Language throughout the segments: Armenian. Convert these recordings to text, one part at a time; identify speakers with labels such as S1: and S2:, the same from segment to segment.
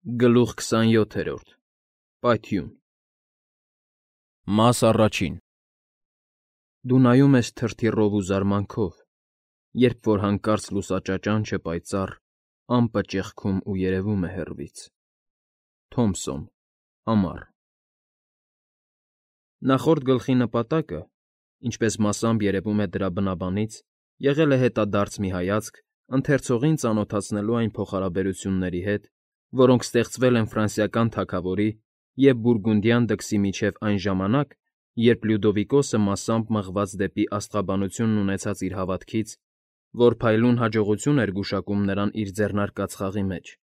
S1: Գլուխ 27 Պայթյուն Մաս առաջին Դու նայում ես թրթիռով ու զարմանքով, երբ որ հանկարծ լուսաճաճանչը պայծառ ամպը ճեղքում ու երևում է հեռվից։ Թոմսոն, ամառ։ Նախորդ գլխի նպատակը, ինչպես մասամբ երևում է դրա բնաբանից, եղել է հետադարձ մի հայացք ընթերցողին ծանոթացնելու այն փոխհարաբերությունների հետ, որոնք ստեղծվել են ֆրանսիական թագավորի և բուրգունդյան դքսի միջև այն ժամանակ, երբ Լյուդովիկոսը մասամբ մղված դեպի աստղաբանությունն ունեցած իր հավատքից, որ փայլուն հաջողություն էր գուշակում նրան իր ձեռնարկած խաղի մեջ,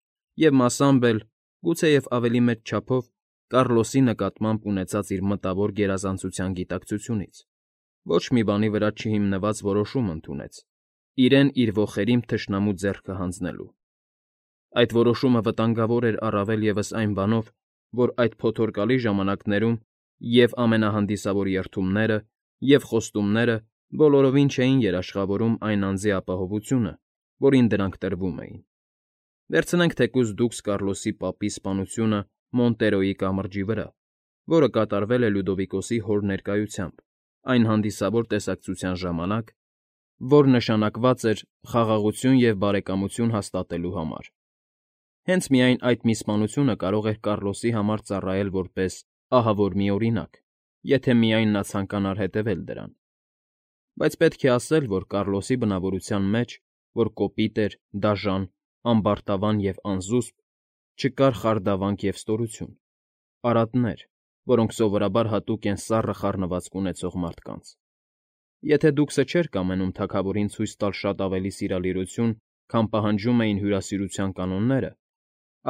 S1: և մասամբ էլ, գուցեև ավելի մեծ չափով, Կառլոսի նկատմամբ ունեցած իր մտավոր գերազանցության գիտակցությունից, ոչ մի բանի վրա չհիմնված որոշում ընդունեց, իրեն իր ոխերիմ թշնամու ձեռքը հանձնելու։ Այդ որոշումը վտանգավոր էր առավել ևս այն բանով, որ այդ փոթորկալի ժամանակներում և ամենահանդիսավոր երդումները, և խոստումները բոլորովին չէին երաշխավորում այն անձի ապահովությունը, որին դրանք տրվում էին։ Վերցնենք թեկուզ դուքս Կառլոսի պապի սպանությունը Մոնտերոյի կամրջի վրա, որը կատարվել է Լյուդովիկոսի հոր ներկայությամբ, այն հանդիսավոր տեսակցության ժամանակ, որ նշանակված էր խաղաղություն և բարեկամություն հաստատելու համար։ Հենց միայն այդ մի սպանությունը կարող էր Կառլոսի համար ծառայել որպես ահավոր մի օրինակ, եթե միայն նա ցանկանար հետևել դրան։ Բայց պետք է ասել, որ Կառլոսի բնավորության մեջ, որ կոպիտ էր, դաժան, ամբարտավան և անզուսպ, չկար խարդավանք և ստորություն, արատներ, որոնք սովորաբար հատուկ են սառը խառնվածք ունեցող մարդկանց։ Եթե դուքսը չէր կամենում թագավորին ցույց տալ շատ ավելի սիրալիրություն, քան պահանջում էին հյուրասիրության կանոնները,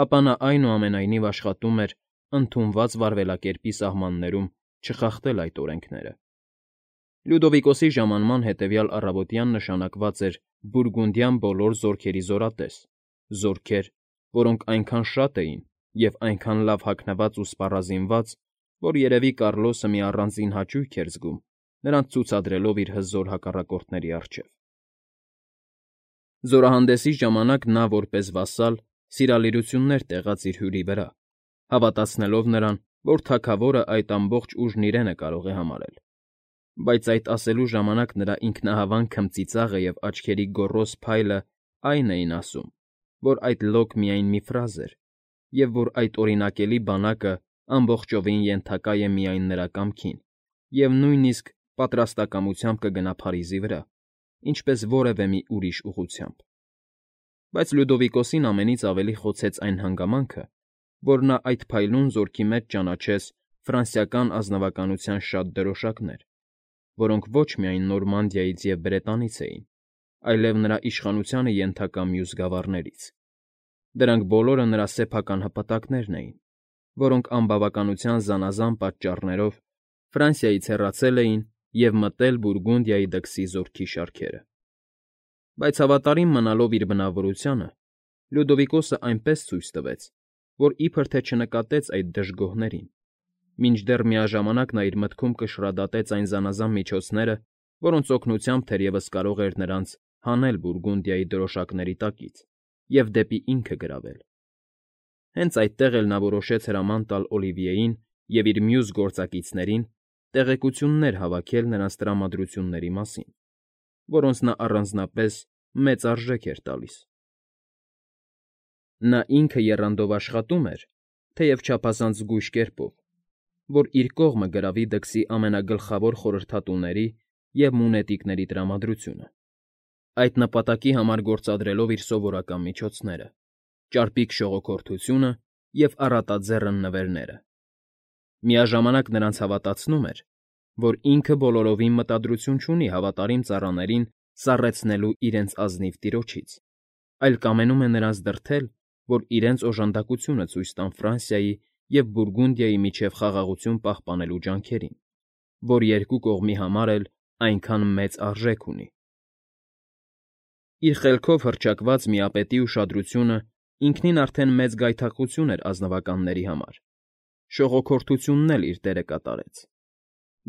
S1: ապա նա այնուամենայնիվ աշխատում էր ընդունված վարվելակերպի սահմաններում չխախտել այդ օրենքները։ Լյուդովիկոսի ժամանման հետևյալ առավոտյան նշանակված էր բուրգունդյան բոլոր զորքերի զորատես, զորքեր, որոնք այնքան շատ էին և այնքան լավ հագնված ու սպառազինված, որ երևի Կառլոսը մի առանձին հաճույք էր զգում նրանց ցուցադրելով իր հզոր հակառակորդների առջև։ Զորահանդեսի ժամանակ նա որպես վասալ սիրալիրություններ տեղաց իր հյուրի վրա, հավատացնելով նրան, որ թագավորը այդ ամբողջ ուժն իրեն է կարող է համարել։ Բայց այդ ասելու ժամանակ նրա ինքնահավան քմծիծաղը և աչքերի գոռոզ փայլը այն էին ասում, որ այդ լոկ միայն մի ֆրազ էր, և որ այդ օրինակելի բանակը ամբողջովին ենթակա է միայն նրա կամքին և նույնիսկ պատրաստակամությամբ կգնա Փարիզի վրա, ինչպես որևէ մի ուրիշ ուղղությամբ։ Բայց Լյուդովիկոսին ամենից ավելի խոցեց այն հանգամանքը, որ նա այդ փայլուն զորքի մեջ ճանաչեց ֆրանսիական ազնվականության շատ դրոշակներ, որոնք ոչ միայն Նորմանդիայից և Բրետանից էին, այլև նրա իշխանությանը ենթակա մյուս գավառներից։ Դրանք բոլորը նրա սեփական հպատակներն էին, որոնք անբավականության զանազան պատճառներով Ֆրանսիայից հեռացել էին և մտել Բուրգունդիայի դքսի զորքի շարքերը։ Բայց հավատարիմ մնալով իր բնավորությանը, Լյուդովիկոսը այնպես ցույց տվեց, որ իբր թե չնկատեց այդ դժգոհներին, մինչդեռ միաժամանակ նա իր մտքում կշռադատեց այն զանազան միջոցները, որոնց օգնությամբ թերևս կարող էր նրանց հանել Բուրգունդիայի դրոշակների տակից և դեպի ինքը գրավել։ Հենց այդտեղ էլ նա որոշեց հրաման տալ Օլիվիեին և իր մյուս գործակիցներին տեղեկություններ հավաքել նրանց տրամադրությունների մասին, որոնց նա առանձնապես մեծ արժեք էր տալիս։ Նա ինքը եռանդով աշխատում էր, թեև չափազանց զգույշ կերպով, որ իր կողմը գրավի դքսի ամենագլխավոր խորհրդատուների և մունետիկների տրամադրությունը, այդ նպատակի համար գործադրելով իր սովորական միջոցները՝ ճարպիկ շողոքորթությունը և առատաձեռն նվերները։ Միաժամանակ նրանց հավատացնում էր, որ ինքը բոլորովին մտադրություն չունի հավատարիմ ծառաներին սառեցնելու իրենց ազնիվ տիրոջից, այլ կամենում է նրանց դրդել, որ իրենց օժանդակությունը ցույց տան Ֆրանսիայի և Բուրգունդիայի միջև խաղաղություն պահպանելու ջանքերին, որ երկու կողմի համար էլ այնքան մեծ արժեք ունի։ Իր խելքով հռչակված միապետի ուշադրությունը ինքնին արդեն մեծ գայթակղություն էր ազնվականների համար, շողոքորթությունն էլ իր դերը կատարեց։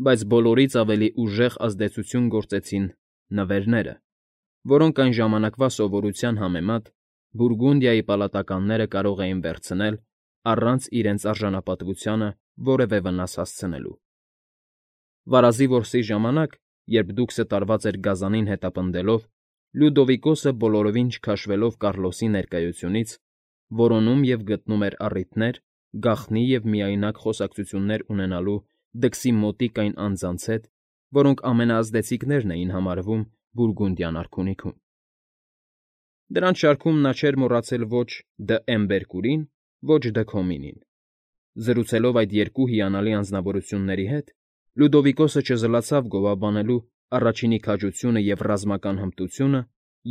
S1: Բայց բոլորից ավելի ուժեղ ազդեցություն գործեցին նվերները, որոնք այն ժամանակվա սովորության համեմատ Բուրգունդիայի պալատականները կարող էին վերցնել առանց իրենց արժանապատվությանը որևէ վնաս հասցնելու։ Վարազի որսի ժամանակ, երբ դուքսը տարված էր գազանին հետապնդելով, Լյուդովիկոսը բոլորովին չքաշվելով Կառլոսի ներկայությունից, որոնում և գտնում էր առիթներ գաղտնի և միայնակ խոսակցություններ ունենալու դքսի մոտիկ այն անձանց հետ, որոնք ամենաազդեցիկներն էին համարվում Բուրգունդյան արքունիքում։ Դրանց շարքում նա չէր մոռացել ոչ Դը Էմբերկուրին, ոչ Դը Քոմինին։ Զրուցելով այդ երկու հիանալի անձնավորությունների հետ, Լյուդովիկոսը չզլացավ գովաբանելու առաջինի քաջությունը և ռազմական հմտությունը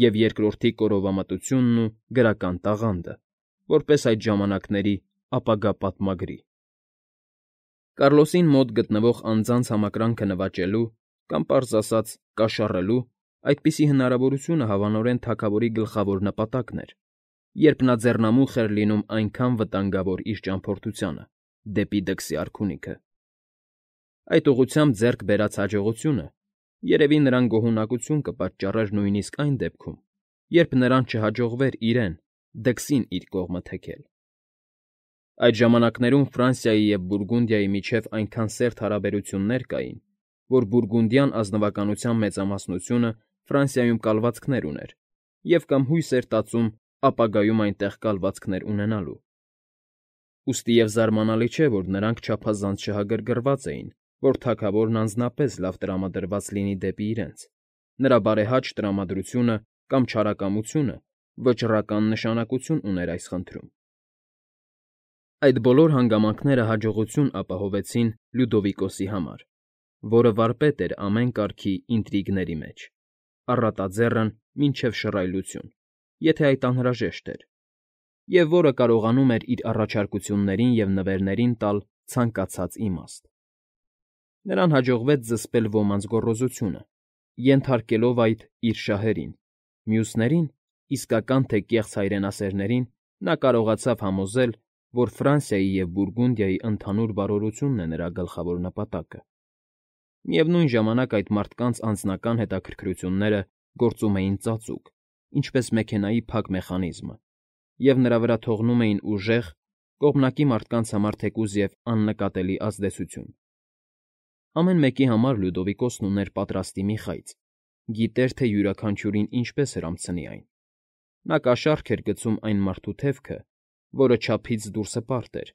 S1: և երկրորդի կորովամտությունն ու գրական տաղանդը, որպես այդ ժամանակների ապագա պատմագրի։ Կառլոսին մոտ գտնվող անձանց համակրանքը նվաճելու կամ, պարզ ասած, կաշառելու այդպիսի հնարավորությունը հավանորեն թագավորի գլխավոր նպատակն էր, երբ նա ձեռնամուխ էր լինում այնքան վտանգավոր իր ճամփորդությանը դեպի դքսի արքունիքը։ Այդ ուղղությամբ ձեռք բերած հաջողությունը երևի նրան գոհունակություն կպատճառեր նույնիսկ այն դեպքում, երբ նրան չհաջողվեր իրեն՝ դքսին իր կողմը թեքել։ Այդ ժամանակներում Ֆրանսիայի և Բուրգունդիայի միջև այնքան սերտ հարաբերություններ կային, որ բուրգունդյան ազնվականության մեծամասնությունը Ֆրանսիայում կալվածքներ ուներ և կամ հույս էր տածում ապագայում այնտեղ կալվածքներ ունենալու։ Ուստի և զարմանալի չէ, որ նրանք չափազանց շահագրգռված էին, որ թագավորն անձնապես լավ տրամադրված լինի դեպի իրենց, նրա բարեհաճ տրամադրությունը կամ չարակամությունը վճռական նշանակություն ուներ այս խնդրում։ Այդ բոլոր հանգամանքները հաջողություն ապահովեցին Լյուդովիկոսի համար, որը վարպետ էր ամեն կարգի ինտրիգների մեջ, առատաձեռն մինչև շռայլություն, եթե այդ անհրաժեշտ էր, և որը կարողանում էր իր առաջարկություններին և նվերներին տալ ցանկացած իմաստ։ Նրան հաջողվեց զսպել ոմանց գոռոզությունը, ենթարկելով այդ իր շահերին, մյուսներին, իսկական թե կեղծ հայրենասերներին, նա կարողացավ համոզել, որ Ֆրանսիայի և Բուրգունդիայի ընդհանուր բարօրությունն է նրա գլխավոր նպատակը։ Միևնույն ժամանակ այդ մարդկանց անձնական հետաքրքրությունները գործում էին ծածուկ, ինչպես մեքենայի փակ մեխանիզմը, և նրա վրա թողնում էին ուժեղ, կողմնակի մարդկանց համար թեկուզ և աննկատելի ազդեցություն։ Ամեն մեկի համար Լյուդովիկոսն ուներ պատրաստի մի խայծ, գիտեր, թե յուրաքանչյուրին ինչպես հրամցնի այն։ Նա կաշառք էր գցում այն մարդու թևքը, որը չափից դուրս հպարտ էր,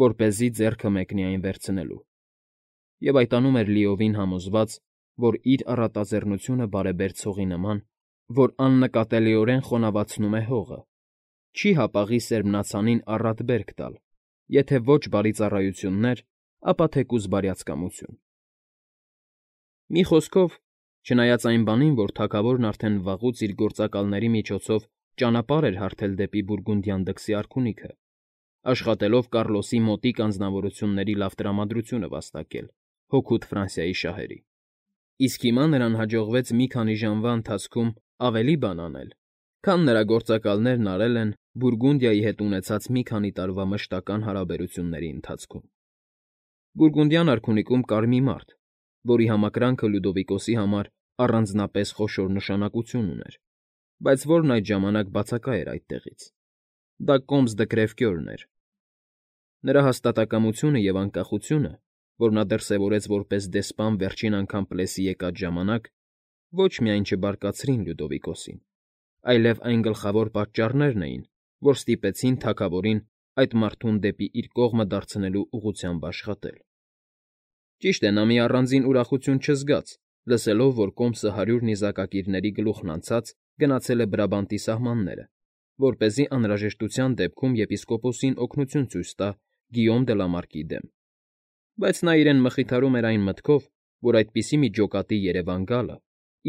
S1: որպեսզի ձեռքը մեկնի այն վերցնելու, և այտանում էր լիովին համոզված, որ իր առատաձեռնությունը բարեբեր ցողի նման, որ աննկատելիորեն խոնավացնում է հողը, չի հապաղի սերմնացանին առատ բերք տալ, եթե ոչ բարի ծառայություններ, ապա թեկուզ բարյացկամություն։ Մի խոսքով, չնայած այն բանին, որ թագավորն արդեն վաղուց իր գործակալների միջոցով ճանապարհ էր հարթել դեպի Բուրգունդյան դքսի արքունիքը, աշխատելով Կառլոսի մոտիկ անձնավորությունների լավ տրամադրությունը վաստակել հօգուտ Ֆրանսիայի շահերի։ Իսկ հիմա նրան հաջողվեց մի քանի ժամվա ընթացքում ավելի բան անել, քան նրա գործակալներն արել են Բուրգունդիայի հետ ունեցած մի քանի տարվա մշտական հարաբերությունների ընթացքում։ Բուրգունդյան արքունիքում կար մի մարդ, որի համակրանքը Լյուդովիկոսի համար առանձնապես խոշոր նշանակություն ուներ, բայց որն այդ ժամանակ բացակա էր այդտեղից։ Դա Կոմս դը Կրևկյորն էր։ Նրա հաստատակամությունը և անկախությունը, որ նա դրսևորեց որպես դեսպան վերջին անգամ Պլեսի եկած ժամանակ, ոչ միայն չբարկացրին Լյուդովիկոսին, այլև այն գլխավոր պատճառներն էին, որ ստիպեցին թագավորին այդ մարդուն դեպի իր կողմը դարձնելու ուղղությամբ աշխատել։ Ճիշտ է, նա մի առանձին ուրախություն չզգաց, լսելով, որ Կոմսը 100 նիզակակիրների գլուխն անցած գնացել է Բրաբանտի սահմանները, որպեսզի անհրաժեշտության դեպքում եպիսկոպոսին օգնություն ցույց տա Գիյոմ դը Լամարկի դեմ։ Բայց նա իրեն մխիթարում էր այն մտքով, որ այդպիսի մի ջոկատի երևան գալը,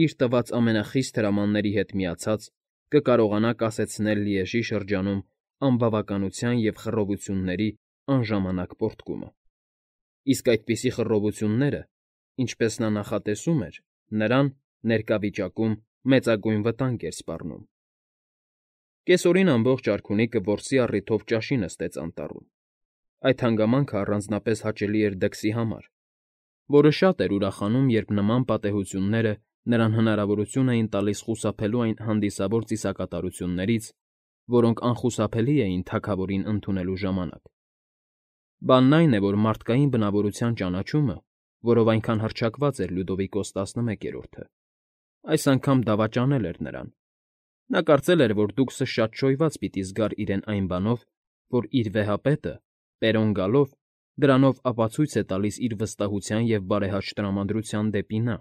S1: իր տված ամենախիստ հրամանների հետ միացած, կկարողանա կասեցնել Լիեժի շրջանում անբավականության և խռովությունների անժամանակ պոռթկումը։ Իսկ այդպիսի խռովությունները, ինչպես նա նախատեսում էր, նրան, ներկա վիճակում, մեծագույն վտանգ էր սպառնում։ Կեսօրին ամբողջ արքունիքը որսի առիթով ճաշի նստեց անտառում։ Այդ հանգամանքը առանձնապես հաճելի էր դքսի համար, որը շատ էր ուրախանում, երբ նման պատեհությունները նրան հնարավորություն էին տալիս խուսափելու այն հանդիսավոր ծիսակատարություններից, որոնք անխուսափելի էին թագավորին ընդունելու ժամանակ, Բանն այն է, որ մարդկային բնավորության ճանաչումը, որով այնքան հռչակված էր Լյուդովիկոս 11-րդը, այս անգամ դավաճանել էր նրան. նա կարծել էր, որ դուքսը շատ շոյված պիտի զգար իրեն այն բանով, որ իր վեհապետը, Պերոն գալով, դրանով ապացույց է տալիս իր վստահության և բարեհաճ տրամադրության դեպի նա,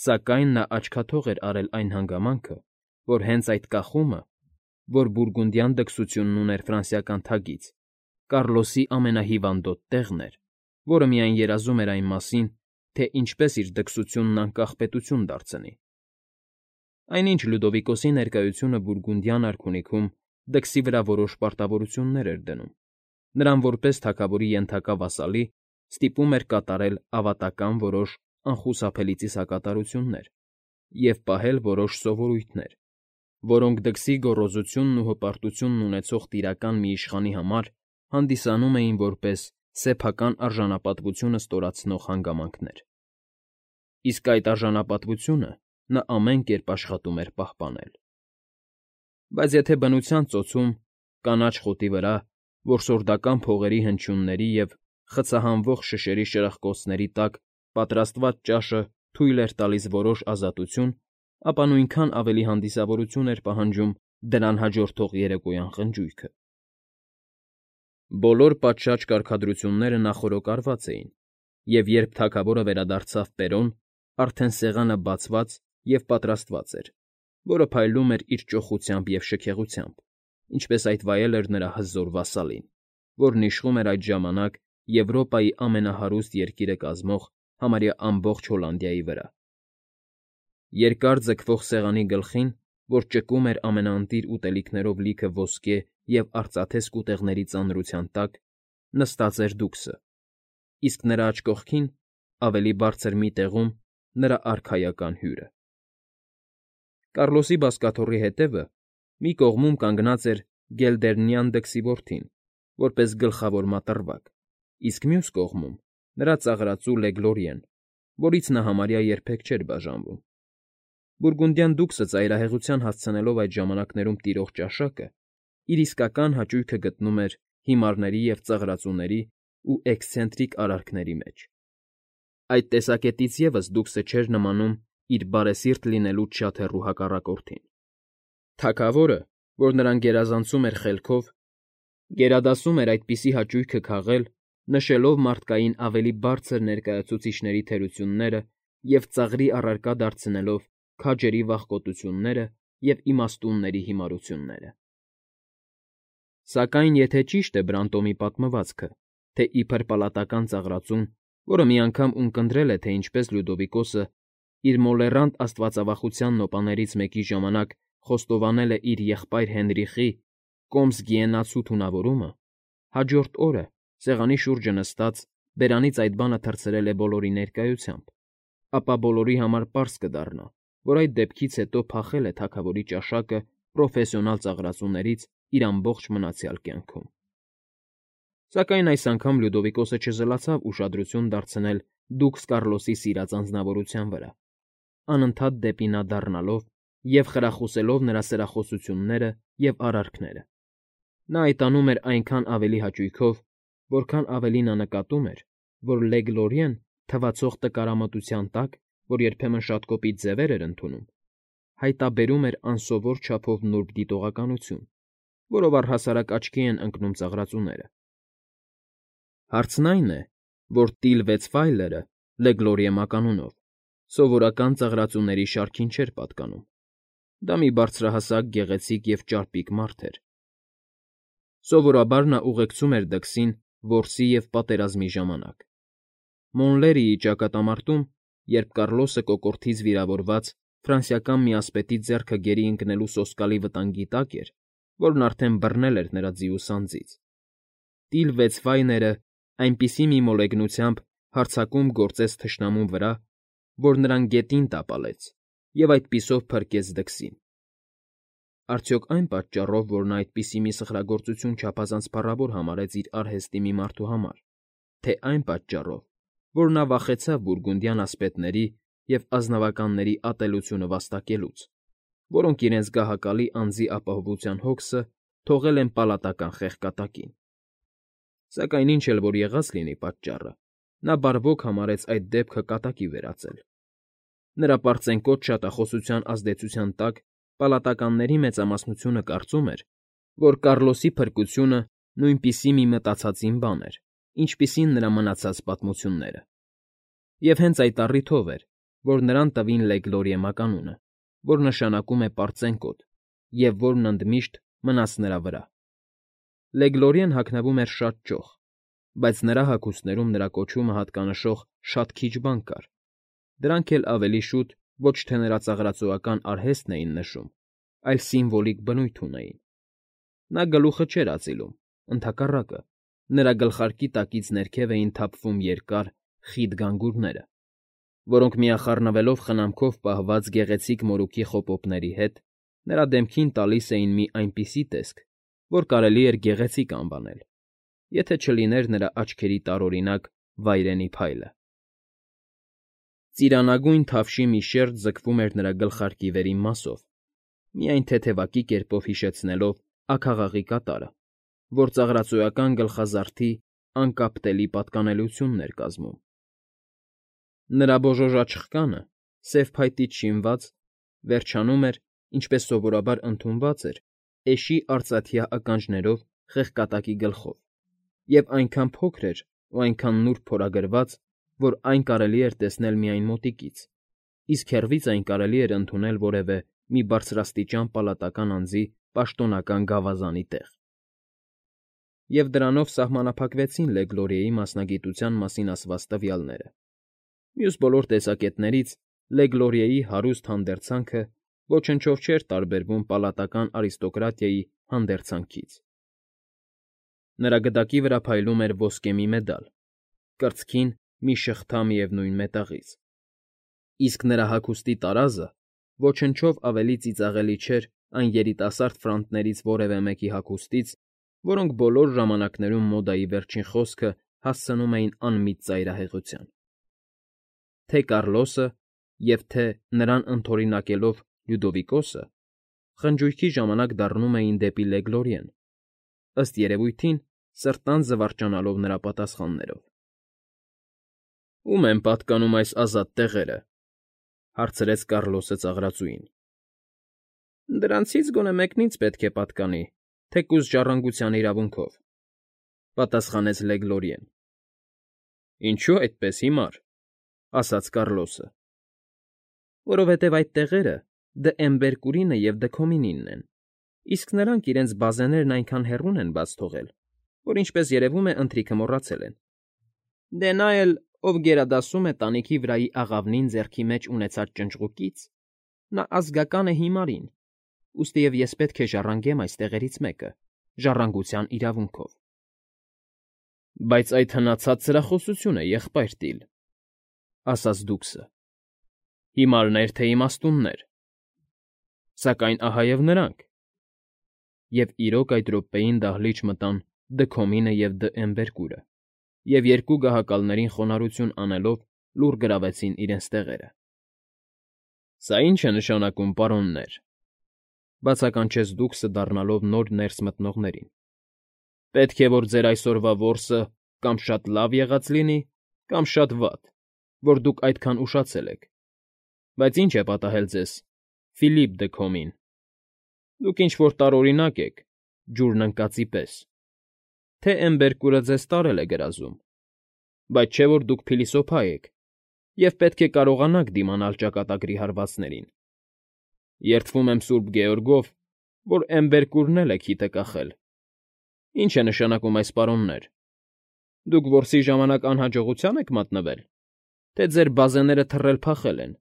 S1: սակայն նա աչքաթող էր արել այն հանգամանքը, որ հենց այդ կախումը, որ բուրգունդյան դքսությունն ուներ ֆրանսիական թագից, Կառլոսի ամենահիվանդոտ տեղն էր, որը միայն երազում էր այն մասին, թե ինչպես իր դքսությունն անկախ պետություն դարձնի։ Այնինչ Լյուդովիկոսի ներկայությունը բուրգունդյան արքունիքում դքսի վրա որոշ պարտավորություններ էր դնում, նրան որպես թագավորի ենթակա վասալի ստիպում էր կատարել ավատական որոշ անխուսափելի ծիսակատարություններ և պահել որոշ սովորույթներ, որոնք դքսի գոռոզությունն ու հպարտությունն ունեցող տիրական մի իշխանի համար հանդիսանում էին որպես սեփական արժանապատվությունը ստորացնող հանգամանքներ։ Իսկ այդ արժանապատվությունը նա ամեն կերպ աշխատում էր պահպանել։ Բայց եթե բնության ծոցում, կանաչ խոտի վրա, որսորդական փողերի հնչյունների և խցահանվող շշերի շրխկոցների տակ պատրաստված ճաշը թույլ էր տալիս որոշ ազատություն, ապա նույնքան ավելի հանդիսավորություն էր պահանջում դրան հաջորդող երեկոյան խնջույքը։ Բոլոր պատշաճ կարգադրությունները նախօրոկարված էին, և երբ թագավորը վերադարձավ Պերոն, արդեն սեղանը բացված և պատրաստված էր, որը փայլում էր իր ճոխությամբ և շքեղությամբ, ինչպես այդ վայել էր նրա հզոր վասալին, որն իշխում էր այդ ժամանակ Եվրոպայի ամենահարուստ երկիրը կազմող համարյա ամբողջ Հոլանդիայի վրա։ Երկար ձգվող սեղանի գլխին, որ ճկում էր ամենաընտիր ուտելիքներով լիքը ոսկե և արծաթե սկուտեղների ծանրության տակ, նստած էր դուքսը, իսկ նրա աջ կողքին, ավելի բարձր մի տեղում, նրա արքայական հյուրը։ Կառլոսի բազկաթոռի հետևը մի կողմում կանգնած էր գելդերնյան դքսի որդին, որպես գլխավոր մատռվակ, իսկ մյուս կողմում՝ նրա ծաղրածու Լեգլորիեն, որից նա համարյա երբեք չէր բաժանվում։ Բուրգունդյան դուքսը ծայրահեղության հասցնելով այդ ժամանակներում տիրող ճաշակը, իր իսկական հաճույքը գտնում էր հիմարների և ծաղրածուների ու էքսցենտրիկ արարքների մեջ։ Այդ տեսակետից ևս դուքսը չէր նմանում իր բարեսիրտ լինելուց շատ հեռու հակառակորդին։ Թագավորը, որ նրան գերազանցում էր խելքով, գերադասում էր այդպիսի հաճույքը քաղել, նշելով մարդկային ավելի բարձր ներկայացուցիչների թերությունները և ծաղրի առարկա դարձնելով քաջերի վախկոտությունները և իմաստունների հիմարությունները։ Սակայն եթե ճիշտ է Բրանտոմի պատմվածքը, թե իբր պալատական ծաղրածուն, որը մի անգամ ունկնդրել է, թե ինչպես Լյուդովիկոսը իր մոլեռանդ աստվածավախության նոպաներից մեկի ժամանակ խոստովանել է իր եղբայր Հենրիխի Կոմս֊Գիենացու թունավորումը, հաջորդ օրը, սեղանի շուրջը նստած, բերանից այդ բանը թռցրել է բոլորի ներկայությամբ, ապա բոլորի համար պարզ կդառնա, որ այդ դեպքից հետո փախել է թագավորի ճաշակը պրոֆեսիոնալ ծաղրածուներից իր ամբողջ մնացյալ կյանքում։ Սակայն այս անգամ Լյուդովիկոսը չզլացավ ուշադրություն դարձնել դուքս Կառլոսի սիրած անձնավորության վրա, անընդհատ դեպի նա դառնալով և խրախուսելով նրա սրախոսությունները և արարքները։ Նա այդ անում էր այնքան ավելի հաճույքով, որքան ավելի նա նկատում էր, որ Լեգլորիեն թվացող տկարամտության տակ, որ երբեմն շատ կոպիտ ձևեր էր ընդունում, հայտաբերում էր անսովոր չափով նուրբ դիտողականություն, որով առհասարակ աչքի են ընկնում ծաղրածուները։ Հարցն այն է, որ Տիլ Վեցֆայլերը Լեգլորիե մականունով սովորական ծաղրածուների շարքին չէր պատկանում։ Դա մի բարձրահասակ, գեղեցիկ և ճարպիկ մարդ էր։ Սովորաբար նա ուղեկցում էր դքսին որսի և պատերազմի ժամանակ։ Մոնլերիի ճակատամարտում, երբ Կառլոսը կոկորդից վիրավորված ֆրանսիական մի ասպետի ձեռքը գերի ընկնելու սոսկալի վտանգի տակ էր, որն արդեն բռնել էր նրա ձիու սանձից, Տիլ Վեցվայները այնպիսի մի մոլեգնությամբ հարձակում գործեց թշնամու վրա, որ նրան գետին տապալեց և այդպիսով փրկեց դքսին։ Արդյոք այն պատճառով, որ նա այդպիսի մի սխրագործություն չափազանց փառավոր համարեց իր արհեստի մի մարդու համար, թե այն պատճառով, որ նա վախեցավ բուրգունդյան ասպետների և ազնվականների ատելությունը վաստակելուց, որոնք իրենց գահակալի անձի ապահովության հոգսը թողել են պալատական խեղկատակին։ Սակայն ինչ էլ որ եղած լինի պատճառը, նա բարվոք համարեց այդ դեպքը կատակի վերածել։ Նրա պարծենկոտ շատախոսության ազդեցության տակ պալատականների մեծամասնությունը կարծում էր, որ Կառլոսի փրկությունը նույնպիսի մի մտածածին բան էր, ինչպիսին նրա մնացած պատմությունները։ Եվ հենց այդ առիթով էր, որ նրան տվին Լեգլորիե մականունը, որ նշանակում է պարծենկոտ, և որն ընդմիշտ մնաց նրա վրա։ Լեգլորիեն հագնվում էր շատ ճոխ, բայց նրա հագուստներում նրա կոչումը հատկանշող շատ քիչ բան կար, դրանք էլ ավելի շուտ ոչ թե նրա ծաղրածոական արհեստն էին նշում, այլ սիմվոլիկ բնույթ ունեին։ Նա գլուխը չէր ածիլում, ընդհակառակը, նրա գլխարկի տակից ներքև էին թափվում երկար, խիտ գանգուրները, որոնք միախառնվելով խնամքով պահված գեղեցիկ մորուքի խոպոպների հետ, նրա դեմքին տալիս էին մի այնպիսի տեսք, որ կարելի էր գեղեցիկ անվանել, եթե չլիներ նրա աչքերի տարօրինակ վայրենի փայլը։ Ծիրանագույն թավշի մի շերջ ձգվում էր նրա գլխարկի վերին մասով, միայն թեթևակի կերպով հիշեցնելով աքաղաղի կատարը, որ ծաղրածոյական գլխազարդի անկապտելի պատկանելությունն էր կազմում։ Նրա բոժոժաչխկանը, սև փայտից շինված, վերջանում էր, ինչպես սովորաբար ընդունված էր, էշի արծաթյա ականջներով խեղկատակի գլխով, և այնքան փոքր էր ու այնքան նուրբ փորագրված, որ այն կարելի էր տեսնել միայն մոտիկից, իսկ հեռվից այն կարելի էր ընդունել որևէ մի բարձրաստիճան պալատական անձի պաշտոնական գավազանի տեղ։ Եվ դրանով սահմանափակվեցին Լեգլորիեի մասնագիտության մասին ասված տվյալները։ Մյուս բոլոր տեսակետներից Լեգլորիեի հարուստ հանդերձանքը ոչնչով չէր տարբերվում պալատական արիստոկրատիայի հանդերձանքից։ Նրա գդակի վրա փայլում էր ոսկե մի մեդալ, կրծքին մի շղթա միևնույն մետաղից, իսկ նրա հագուստի տարազը ոչնչով ավելի ծիծաղելի չէր այն երիտասարդ ֆրանտներից որևէ մեկի հագուստից, որոնք բոլոր ժամանակներում մոդայի վերջին խոսքը հասցնում էին անմիտ ծայրահեղության։ Թե Կառլոսը և թե նրան ընդօրինակելով Լյուդովիկոսը խնջույքի ժամանակ դառնում էին դեպի Լեգլորիեն, ըստ երևույթին սրտան զվարճանալով նրա պատասխաններով։ «Ո՞ւմ են պատկանում այս ազատ տեղերը», հարցրեց Կառլոսը ծաղրածուին։ «Դրանցից գոնե մեկն ինձ պետք է պատկանի, թեկուզ ժառանգության իրավունքով», պատասխանեց Լեգլորիեն։ «Ինչո՞ւ այդպես հիմար», ասաց Կառլոսը։ «Որովհետև այդ տեղերը Դ'Էմբերկուրինը և Դ'Քոմինինն են, իսկ նրանք իրենց բազեներն այնքան հեռուն են բաց թողել, որ, ինչպես երևում է, ընթրիքը մոռացել են։ Դե նա էլ, ով գերադասում է տանիքի վրայի աղավնին ձեռքի մեջ ունեցած ճնճղուկից, նա ազգական է հիմարին, ուստիև ես պետք է ժառանգեմ այս տեղերից մեկը, ժառանգության իրավունքով»։ «Բայց այդ հնացած սրախոսություն է, եղբայր Տիլ», ասաց դուքսը։ «Հիմարներ թե իմաստուններ։ Սակայն ահա և նրանք»։ Եվ իրոք այդ րոպեին դահլիճ մտան Դ'Քոմինը և Դ'Էմբերկուրը, և երկու գահակալներին խոնարհություն անելով լուռ գրավեցին իրենց տեղերը։ «Սա ի՞նչ է նշանակում, պարոններ», բացականչեց դուքսը դառնալով նոր ներս մտնողներին։ «Պետք է որ ձեր այսօրվա որսը կամ շատ լավ եղած լինի, կամ շատ վատ, որ դուք այդքան ուշացել եք։ Բայց ի՞նչ է պատահել ձեզ, Ֆիլիպ Դ'Քոմին։ Դուք ինչ֊որ տարօրինակ եք, ջուրն ընկածի պես։ Թե Էմբերկուրը ձեզ տարել է գրազում, բայց չէ որ դուք փիլիսոփա եք և պետք է կարողանաք դիմանալ ճակատագրի հարվածներին։ Երդվում եմ Սուրբ Գեորգով, որ Էմբերկուրն էլ է քիթը կախել։ Ի՞նչ է նշանակում այս, պարոններ։ Դուք որսի ժամանակ անհաջողությա՞ն եք մատնվել, թե ձեր բազեները թռել֊փախել են,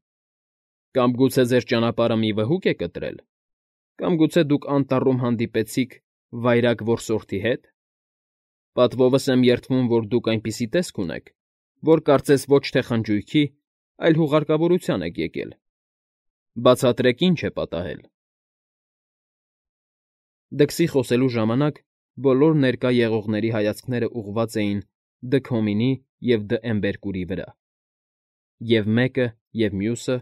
S1: կամ գուցե ձեր ճանապարհը մի վհուկ է կտրել, կամ գուցե դուք անտառում հանդիպեցիք վայրագ որսորդի հետ։ Պատվովս եմ երդվում, որ դուք այնպիսի տեսք ունեք, որ կարծես ոչ թե խնջույքի, այլ հուղարկավորության եք եկել։ Բացատրեք, ինչ է պատահել»։ Դքսի խոսելու ժամանակ բոլոր ներկա եղողների հայացքները ուղղված էին Դ'Քոմինի և Դ'Էմբերկուրի վրա, և մեկը, և մյուսը,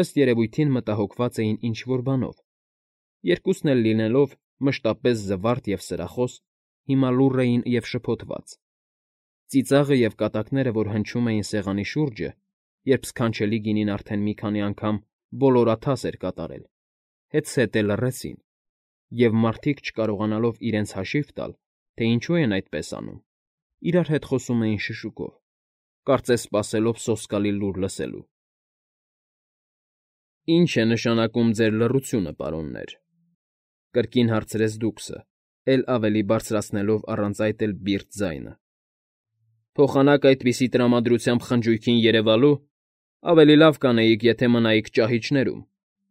S1: ըստ երևույթին, մտահոգված էին ինչ֊որ բանով, երկուսն էլ լինելով մշտապես զվարթ և սրախոս, հիմա լուռ էին և շփոթված, ծիծաղը և կատակները, որ հնչում էին սեղանի շուրջը, երբ սքանչելի գինին արդեն մի քանի անգամ ոլորաթաս էր կատարել, հետզհետե լռեցին, և մարդիկ, չկարողանալով իրենց հաշիվ տալ, թե ինչու են այդպես անում, իրար հետ խոսում էին շշուկով, կարծես սպասելով սոսկալի լուր լսելու։ ֊ Ի՞նչ է նշանակում ձեր լռությունը, պարոններ,֊ կրկին հարցրեց դուքսը, էլ ավելի բարձրացնելով առանց այդ էլ բիրտ ձայնը։ ֊ Փոխանակ այդպիսի տրամադրությամբ խնջույքին երևալու, ավելի լավ կանեիք, եթե մնայիք ճահիճներում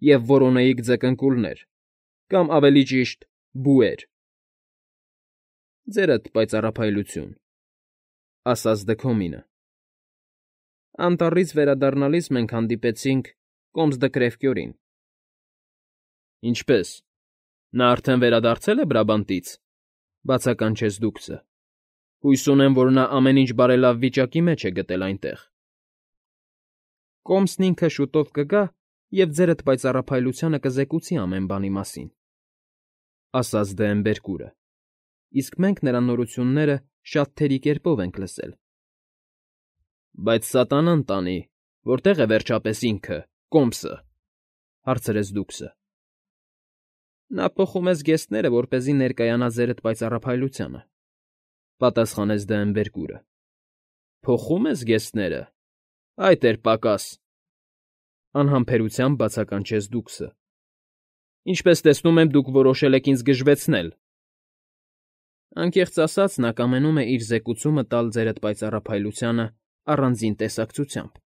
S1: և որոնեիք ձկնկուլներ, կամ, ավելի ճիշտ, բուեր։ ֊ Ձերդ պայծառափայլություն,֊ ասաց Դքոմինը։ ֊ Անտառից վերադառնալիս մենք հանդիպեցինք կոմս Դկրևկյորին։ ֊ Ինչպե՞ս, նա արդեն վերադարձել է Բրաբանտից,֊ բացականչեց դուքսը։ Հույս ունեմ, որ նա ամեն ինչ բարելավ վիճակի մեջ է գտել այնտեղ։ ֊ Կոմսն ինքը շուտով կգա և ձերդ պայծառափայլությանը կզեկուցի ամեն բանի մասին,֊ ասաց Դեմբերկուրը,֊ իսկ մենք նրա նորությունները շատ թերի կերպով ենք լսել։ ֊ Բայց սատանան տանի, որտե՞ղ է վերջապես ինքը՝ Կոմսը,֊ հարցրեց դուքսը։ ֊ Նա փոխում է զգեստները, որպեսզի ներկայանա ձերդ պայծառափայլությանը,֊ պատասխանեց Դեմբերկուրը։ ֊ Փոխում է զգեստները… Այդ էր պակաս,֊ անհամբերությամբ բացականչեց դուքսը։ ֊ Ինչպես տեսնում եմ, դուք որոշել եք ինձ գժվեցնել։ ֊ Անկեղծ ասած, նա կամենում է իր զեկուցումը տալ ձերդ պայծառափայլությանը առանձին տեսակցությամբ,֊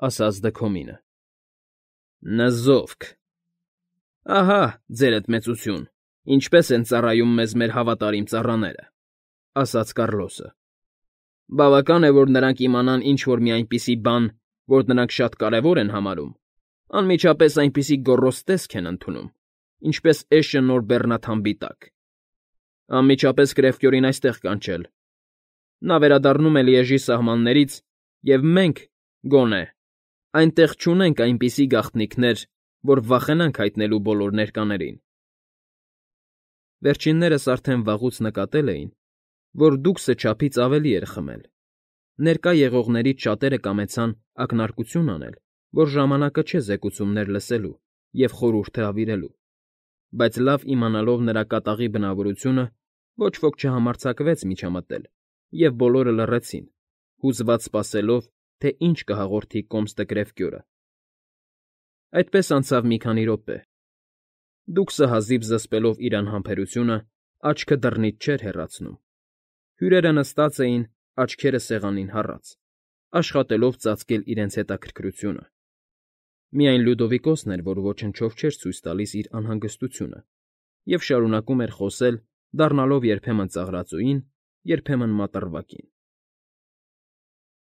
S1: ասաց Դքոմինը։ ֊ Նզովք… Ահա, ձերդ մեծություն, ինչպես են ծառայում մեզ մեր հավատարիմ ծառաները,֊ ասաց Կառլոսը։ ֊ Բավական է, որ նրանք իմանան ինչ֊որ մի այնպիսի բան, որ նրանք շատ կարևոր են համարում, անմիջապես այնպիսի գոռոզ տեսք են ընդունում, ինչպես էշը նոր բեռնաթամբի տակ։ Անմիջապես Կրևկյորին այստեղ կանչել։ Նա վերադառնում է Լիեժի սահմաններից, և մենք, գոնե, այնտեղ չունենք այնպիսի գաղտնիքներ, որ վախենանք հայտնելու բոլոր ներկաներին։ Վերջիններս արդեն վաղուց նկատել էին, որ դուքսը չափից ավելի էր խմել։ Ներկա եղողներից շատերը կամեցան ակնարկություն անել, որ ժամանակը չէ զեկուցումներ լսելու և խորհուրդ հրավիրելու, բայց լավ իմանալով նրա կատաղի բնավորությունը, ոչ ոք չհամարձակվեց միջամտել, և բոլորը լռեցին, հուզված սպասելով, թե ինչ կհաղորդի կոմս Դկրևկյորը։ Այդպես անցավ մի քանի րոպե։ Դուքսը հազիվ զսպելով իր անհամբերությունը, աչքը դռնից չէր հեռացնում։ Հյուրերը նստած էին, աչքերը սեղանին հառած, աշխատելով ծածկել իրենց հետաքրքրությունը։ Միայն Լյուդովիկոսն էր, որ ոչնչով չէր ցույց տալիս իր անհանգստությունը և շարունակում էր խոսել, դառնալով երբեմն ծաղրածուին, երբեմն մատռվակին։